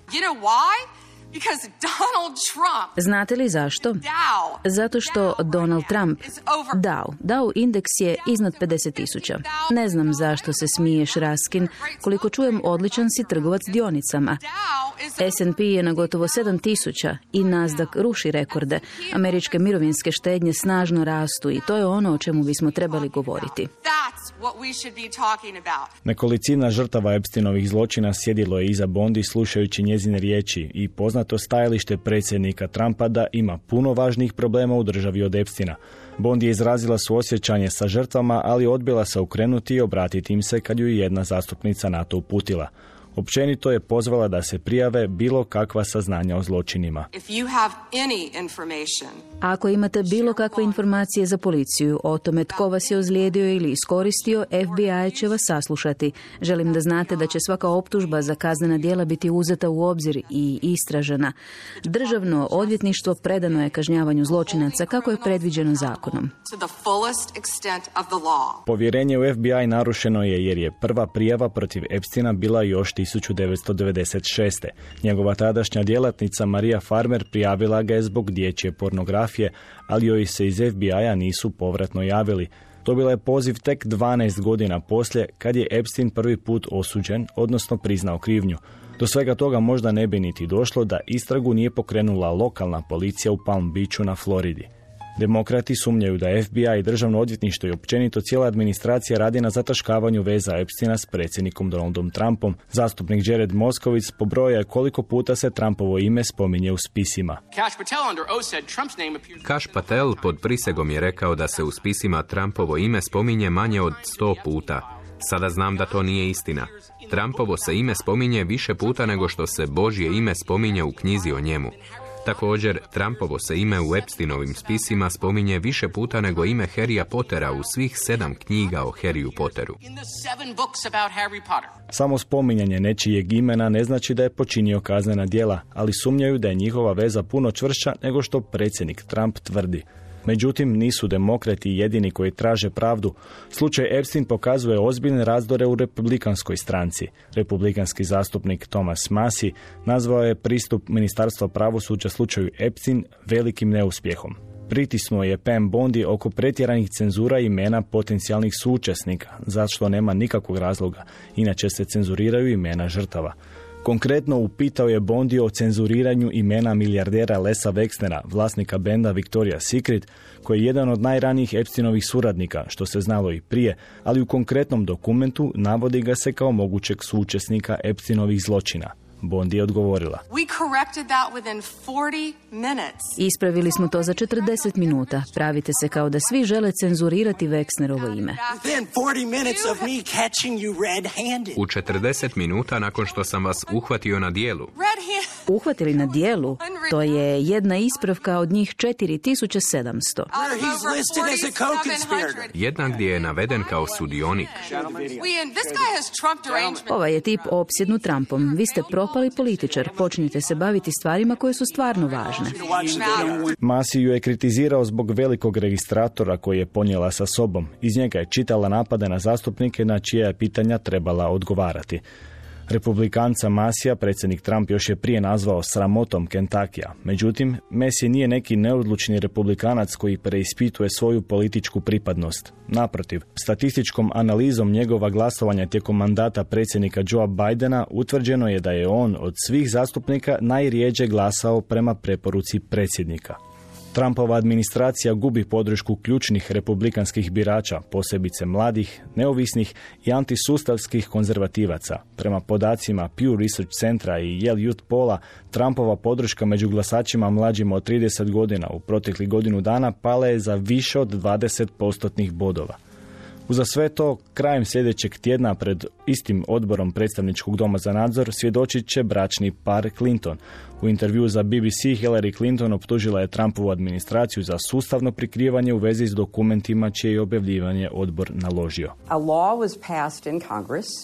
Znate li zašto? Zato što Donald Trump, Dow indeks je iznad 50.000. Ne znam zašto se smiješ, Raskin, koliko čujem odličan si trgovac dionicama. S&P je na gotovo 7.000 i Nasdaq ruši rekorde. Američke mirovinske štednje snažno rastu i to je ono o čemu bismo trebali govoriti. Nekolicina žrtava Epsteinovih zločina sjedilo je iza Bondi slušajući njezine riječi i poznato stajalište predsjednika Trumpa da ima puno važnijih problema u državi od Epsteina. Bondi je izrazila suosjećanje sa žrtvama, ali odbila se okrenuti i obratiti im se kad ju jedna zastupnica na to uputila. Općenito je pozvala da se prijave bilo kakva saznanja o zločinima. Ako imate bilo kakve informacije za policiju o tome tko vas je ozlijedio ili iskoristio, FBI će vas saslušati. Želim da znate da će svaka optužba za kaznena djela biti uzeta u obzir i istražena. Državno odvjetništvo predano je kažnjavanju zločinaca kako je predviđeno zakonom. Povjerenje u FBI narušeno je jer je prva prijava protiv Epsteina bila još 1996. Njegova tadašnja djelatnica Maria Farmer prijavila ga je zbog dječje pornografije, ali joj se iz FBI-a nisu povratno javili. Dobila je poziv tek 12 godina poslije, kad je Epstein prvi put osuđen, odnosno priznao krivnju. Do svega toga možda ne bi niti došlo da istragu nije pokrenula lokalna policija u Palm Beachu na Floridi. Demokrati sumnjaju da FBI i državno odvjetništvo i općenito cijela administracija radi na zataškavanju veza Epsteina s predsjednikom Donaldom Trumpom. Zastupnik Jared Moskowitz pobroja je koliko puta se Trumpovo ime spominje u spisima. Kash Patel pod prisegom je rekao da se u spisima Trumpovo ime spominje manje od 100 puta. Sada znam da to nije istina. Trumpovo se ime spominje više puta nego što se Božje ime spominje u knjizi o njemu. Također, Trumpovo se ime u Epsteinovim spisima spominje više puta nego ime Harrya Pottera u svih 7 knjiga o Harryu Potteru. Samo spominjanje nečijeg imena ne znači da je počinio kaznena djela, ali sumnjaju da je njihova veza puno čvršća nego što predsjednik Trump tvrdi. Međutim, nisu demokrati jedini koji traže pravdu. Slučaj Epstein pokazuje ozbiljne razdore u republikanskoj stranci. Republikanski zastupnik Thomas Massie nazvao je pristup Ministarstva pravosuđa slučaju Epstein velikim neuspjehom. Pritisnuo je Pam Bondi oko pretjeranih cenzura imena potencijalnih suučesnika, zašto nema nikakvog razloga, inače se cenzuriraju imena žrtava. Konkretno upitao je Bondi o cenzuriranju imena milijardera Lesa Wexnera, vlasnika benda Victoria's Secret, koji je jedan od najranijih Epsteinovih suradnika, što se znalo i prije, ali u konkretnom dokumentu navodi ga se kao mogućeg suučesnika Epsteinovih zločina. Bondi je odgovorila. Ispravili smo to za 40 minuta. Pravite se kao da svi žele cenzurirati Wexnerovo ime. U 40 minuta nakon što sam vas uhvatio na dijelu. Uhvatili na dijelu? To je jedna ispravka od njih 4700. Jedna gdje je naveden kao sudionik. Ovaj je tip opsjednut Trumpom. Vi ste propali političar. Počnite se baviti stvarima koje su stvarno važne. Massie ju je kritizirao zbog velikog registratora koji je ponijela sa sobom. Iz njega je čitala napade na zastupnike na čija je pitanja trebala odgovarati. Republikanca Masija predsjednik Trump još je prije nazvao sramotom Kentakija. Međutim, Masij nije neki neodlučni republikanac koji preispituje svoju političku pripadnost. Naprotiv, statističkom analizom njegova glasovanja tijekom mandata predsjednika Joea Bidena utvrđeno je da je on od svih zastupnika najrjeđe glasao prema preporuci predsjednika. Trumpova administracija gubi podršku ključnih republikanskih birača, posebice mladih, neovisnih i antisustavskih konzervativaca. Prema podacima Pew Research Centra i Yale Youth Polla, Trumpova podrška među glasačima mlađima od 30 godina u proteklih godinu dana pala je za više od 20% bodova. Uza sve to, krajem sljedećeg tjedna pred istim odborom predstavničkog doma za nadzor svjedočit će bračni par Clinton. U intervju za BBC Hillary Clinton optužila je Trumpovu administraciju za sustavno prikrivanje u vezi s dokumentima čije je objavljivanje odbor naložio.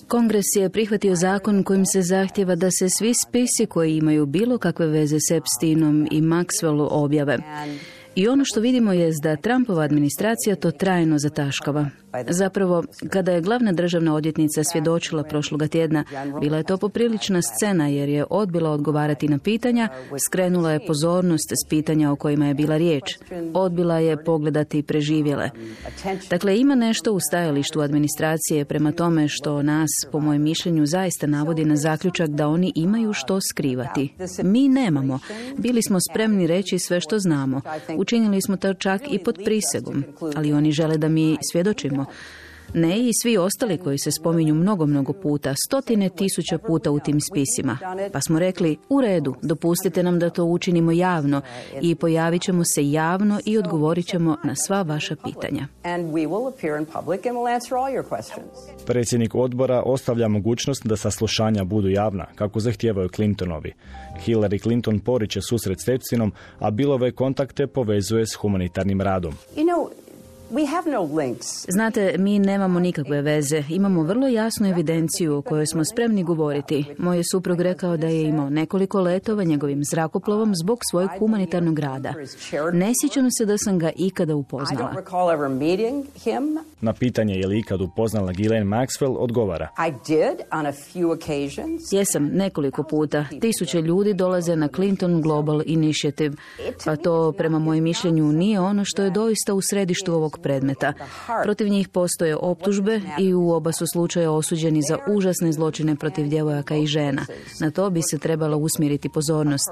Kongres je prihvatio zakon kojim se zahtjeva da se svi spisi koji imaju bilo kakve veze s Epsteinom i Maxwellu objave. I ono što vidimo je da Trumpova administracija to trajno zataškava. Zapravo, kada je glavna državna odvjetnica svjedočila prošloga tjedna, bila je to poprilična scena jer je odbila odgovarati na pitanja, skrenula je pozornost s pitanja o kojima je bila riječ. Odbila je pogledati preživjele. Dakle, ima nešto u stajalištu administracije prema tome što nas, po mojem mišljenju, zaista navodi na zaključak da oni imaju što skrivati. Mi nemamo. Bili smo spremni reći sve što znamo. Učinili smo to čak i pod prisegom, ali oni žele da mi svjedočimo. Ne i svi ostali koji se spominju mnogo puta, 100.000 puta u tim spisima. Pa smo rekli, u redu, dopustite nam da to učinimo javno i pojavit ćemo se javno i odgovorit ćemo na sva vaša pitanja. Predsjednik odbora ostavlja mogućnost da saslušanja budu javna, kako zahtijevaju Clintonovi. Hillary Clinton poriče susret s Epsteinom, a Billove kontakte povezuje s humanitarnim radom. Znate, mi nemamo nikakve veze. Imamo vrlo jasnu evidenciju o kojoj smo spremni govoriti. Moj je suprug rekao da je imao nekoliko letova njegovim zrakoplovom zbog svojeg humanitarnog rada. Ne sjećam se da sam ga ikada upoznala. Na pitanje je li ikad upoznala Ghislaine Maxwell odgovara. Jesam, nekoliko puta. 1000 ljudi dolaze na Clinton Global Initiative, pa to prema mojem mišljenju nije ono što je doista u središtu ovog predmeta. Protiv njih postoje optužbe i u oba su slučaja osuđeni za užasne zločine protiv djevojaka i žena. Na to bi se trebala usmjeriti pozornost.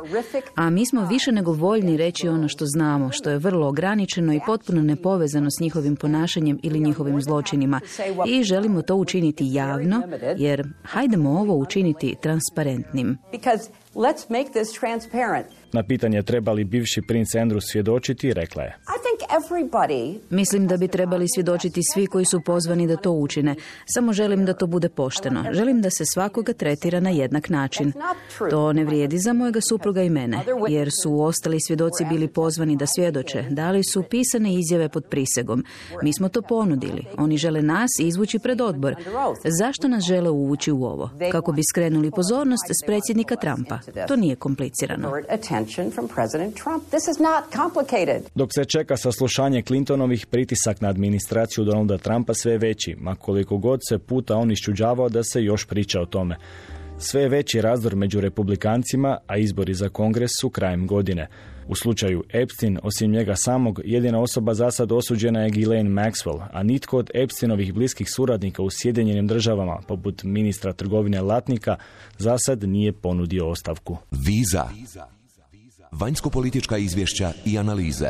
A mi smo više nego voljni reći ono što znamo, što je vrlo ograničeno i potpuno nepovezano s njihovim ponašanjem ili njihovim zločinima. I želimo to učiniti javno, jer hajdemo ovo učiniti transparentnim. Na pitanje treba li bivši princ Andrew svjedočiti, rekla je. Mislim da bi trebali svjedočiti svi koji su pozvani da to učine. Samo želim da to bude pošteno. Želim da se svakoga tretira na jednak način. To ne vrijedi za mojega supruga i mene, jer su ostali svjedoci bili pozvani da svjedoče. Dali su pisane izjave pod prisegom. Mi smo to ponudili. Oni žele nas izvući pred odbor. Zašto nas žele uvući u ovo? Kako bi skrenuli pozornost s predsjednika Trumpa. To nije komplicirano. Dok se čeka saslušanje Clintonovih, pritisak na administraciju Donalda Trumpa sve je veći, ma koliko god se puta on iščuđavao da se još priča o tome. Sve je veći razdor među republikancima, a izbori za kongres su krajem godine. U slučaju Epstein, osim njega samog, jedina osoba za sad osuđena je Ghislaine Maxwell, a nitko od Epsteinovih bliskih suradnika u Sjedinjenim državama, poput ministra trgovine Latnika, za sad nije ponudio ostavku. Viza. Vanjsko-politička izvješća i analize.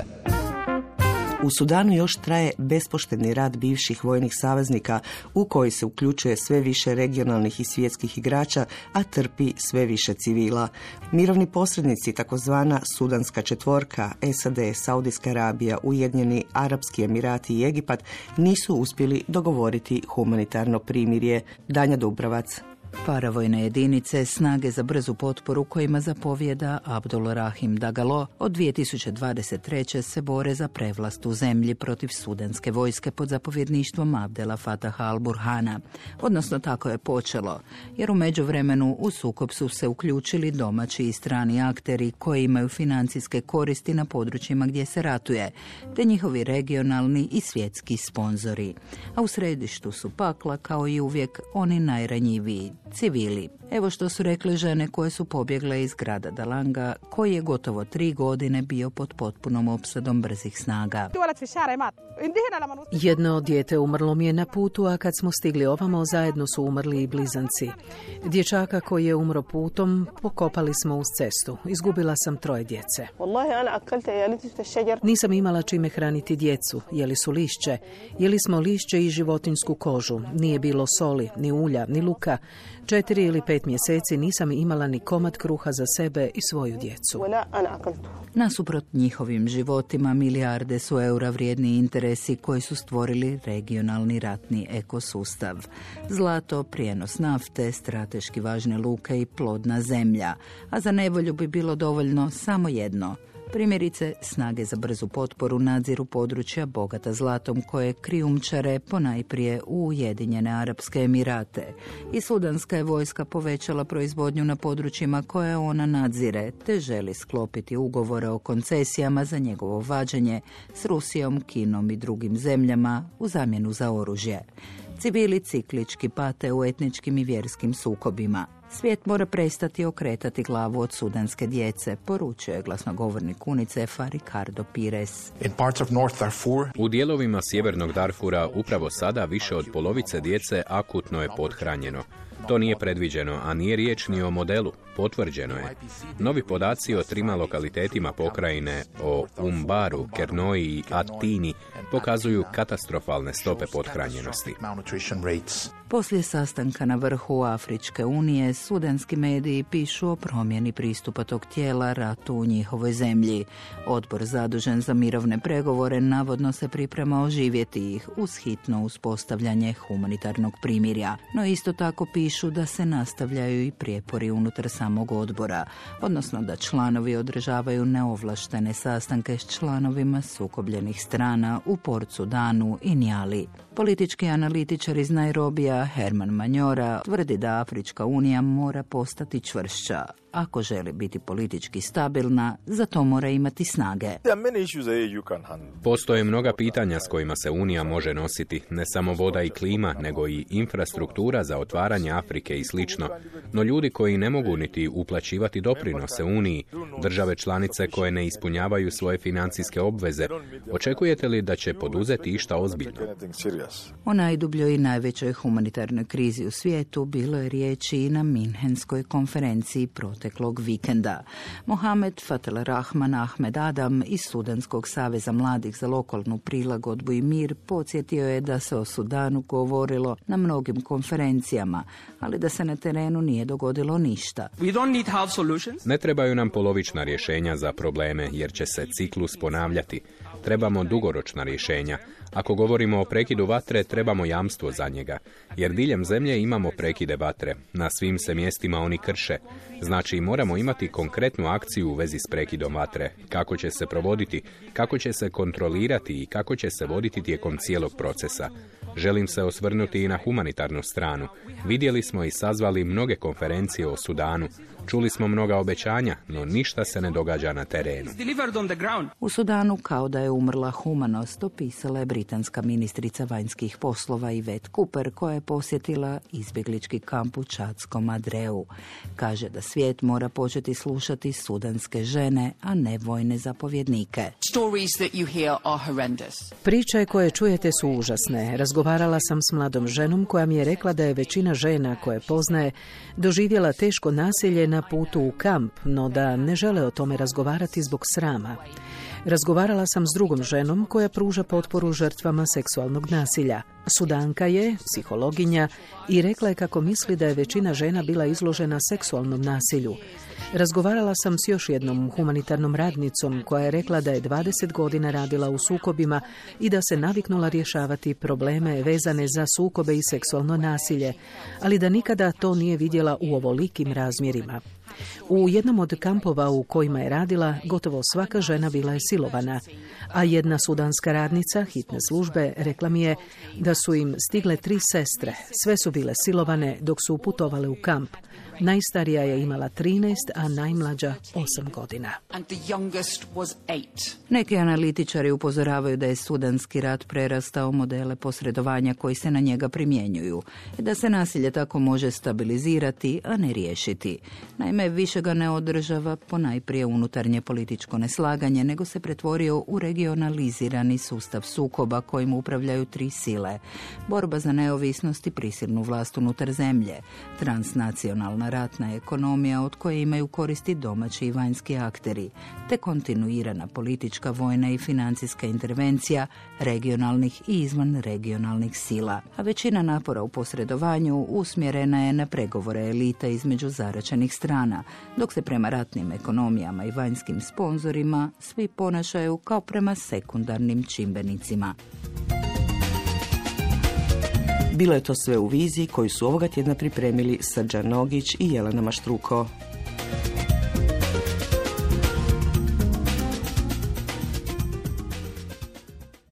U Sudanu još traje bespoštedni rad bivših vojnih saveznika u koji se uključuje sve više regionalnih i svjetskih igrača, a trpi sve više civila. Mirovni posrednici, takozvana Sudanska četvorka, SAD, Saudijska Arabija, Ujedinjeni Arapski Emirati i Egipat nisu uspjeli dogovoriti humanitarno primirje. Danja Dubravac. Paravojne jedinice, snage za brzu potporu kojima zapovijeda Abdul Rahim Dagalo od 2023. se bore za prevlast u zemlji protiv sudanske vojske pod zapovjedništvom Abdela Fataha al-Burhana. Odnosno tako je počelo, jer u međuvremenu u sukob su se uključili domaći i strani akteri koji imaju financijske koristi na područjima gdje se ratuje, te njihovi regionalni i svjetski sponzori. A u središtu su pakla, kao i uvijek, oni najranjiviji. civili. Evo što su rekle žene koje su pobjegle iz grada Dalanga, koji je gotovo 3 godine bio pod potpunom opsadom brzih snaga. Jedno dijete umrlo mi je na putu, a kad smo stigli ovamo, zajedno su umrli i blizanci. Dječaka koji je umro putom pokopali smo uz cestu. Izgubila sam 3 djece. Nisam imala čime hraniti djecu. Jeli su lišće. Jeli smo lišće i životinjsku kožu. Nije bilo soli, ni ulja, ni luka. 4 ili 5 mjeseci nisam imala ni komad kruha za sebe i svoju djecu. Nasuprot njihovim životima, milijarde su eura vrijedni interesi koji su stvorili regionalni ratni ekosustav. Zlato, prijenos nafte, strateški važne luke i plodna zemlja. A za nevolju bi bilo dovoljno samo jedno. Primjerice, snage za brzu potporu nadziru područja bogata zlatom koje krijumčare ponajprije u Ujedinjene Arapske Emirate. I sudanska je vojska povećala proizvodnju na područjima koje ona nadzire, te želi sklopiti ugovore o koncesijama za njegovo vađenje s Rusijom, Kinom i drugim zemljama u zamjenu za oružje. Civili ciklički pate u etničkim i vjerskim sukobima. Svijet mora prestati okretati glavu od sudanske djece, poručuje glasnogovornik UNICEF-a Ricardo Pires. U dijelovima sjevernog Darfura upravo sada više od polovice djece akutno je pothranjeno. To nije predviđeno, a nije riječ ni o modelu. Potvrđeno je. Novi podaci o 3 lokalitetima pokrajine, o Umbaru, Kernoji i Atini, pokazuju katastrofalne stope pothranjenosti. Poslije sastanka na vrhu Afričke unije, sudanski mediji pišu o promjeni pristupa tog tijela ratu u njihovoj zemlji. Odbor zadužen za mirovne pregovore navodno se priprema oživjeti ih uz hitno uspostavljanje humanitarnog primirja. No isto tako pišu da se nastavljaju i prijepori unutar samog odbora, odnosno da članovi održavaju neovlaštene sastanke s članovima sukobljenih strana u Port Sudanu i Njali. Politički analitičar iz Nairobija Herman Manjora tvrdi da Afrička unija mora postati čvršća. Ako želi biti politički stabilna, za to mora imati snage. Postoje mnoga pitanja s kojima se Unija može nositi, ne samo voda i klima, nego i infrastruktura za otvaranje Afrike i slično. No ljudi koji ne mogu niti uplaćivati doprinose Uniji, države članice koje ne ispunjavaju svoje financijske obveze, očekujete li da će poduzeti išta ozbiljno? O najdubljoj i najvećoj humanitarnoj krizi u svijetu bilo je riječi i na Minhenskoj konferenciji proteklog vikenda. Mohamed Fatel Rahman Ahmed Adam iz Sudanskog saveza mladih za lokalnu prilagodbu i mir podsjetio je da se o Sudanu govorilo na mnogim konferencijama, ali da se na terenu nije dogodilo ništa. Ne trebaju nam polovična rješenja za probleme, jer će se ciklus ponavljati. Trebamo dugoročna rješenja. Ako govorimo o prekidu vatre, trebamo jamstvo za njega. Jer diljem zemlje imamo prekide vatre. Na svim se mjestima oni krše. Znači, moramo imati konkretnu akciju u vezi s prekidom vatre. Kako će se provoditi, kako će se kontrolirati i kako će se voditi tijekom cijelog procesa. Želim se osvrnuti i na humanitarnu stranu. Vidjeli smo i sazvali mnoge konferencije o Sudanu. Čuli smo mnoga obećanja, no ništa se ne događa na terenu. U Sudanu kao da je umrla humanost, opisala je britanska ministrica vanjskih poslova Yvette Cooper, koja je posjetila izbjeglički kamp u čadskom Adreu. Kaže da svijet mora početi slušati sudanske žene, a ne vojne zapovjednike. Priče koje čujete su užasne. Razgovarala sam s mladom ženom koja mi je rekla da je većina žena koje poznaje doživjela teško nasilje na putu u kamp, no da ne žele o tome razgovarati zbog srama. Razgovarala sam s drugom ženom koja pruža potporu žrtvama seksualnog nasilja. Sudanka je psihologinja i rekla je kako misli da je većina žena bila izložena seksualnom nasilju. Razgovarala sam s još jednom humanitarnom radnicom koja je rekla da je 20 godina radila u sukobima i da se naviknula rješavati probleme vezane za sukobe i seksualno nasilje, ali da nikada to nije vidjela u ovolikim razmjerima. U jednom od kampova u kojima je radila, gotovo svaka žena bila je silovana, a jedna sudanska radnica hitne službe rekla mi je da su im stigle 3 sestre. Sve su bile silovane dok su putovale u kamp. Najstarija je imala 13, a najmlađa 8 godina. Neki analitičari upozoravaju da je sudanski rat prerastao modele posredovanja koji se na njega primjenjuju i da se nasilje tako može stabilizirati, a ne riješiti. Naime, više ga ne održava ponajprije unutarnje političko neslaganje, nego se pretvorio u regionalizirani sustav sukoba kojim upravljaju 3 sile. Borba za neovisnost i prisilnu vlast unutar zemlje, transnacionalna ratna ekonomija od koje imaju koristi domaći i vanjski akteri, te kontinuirana politička, vojna i financijska intervencija regionalnih i izvan regionalnih sila. A većina napora u posredovanju usmjerena je na pregovore elita između zaraćenih strana, dok se prema ratnim ekonomijama i vanjskim sponzorima svi ponašaju kao prema sekundarnim čimbenicima. Bilo je to sve u viziji koju su ovoga tjedna pripremili Srđan Nogić i Jelena Maštruko.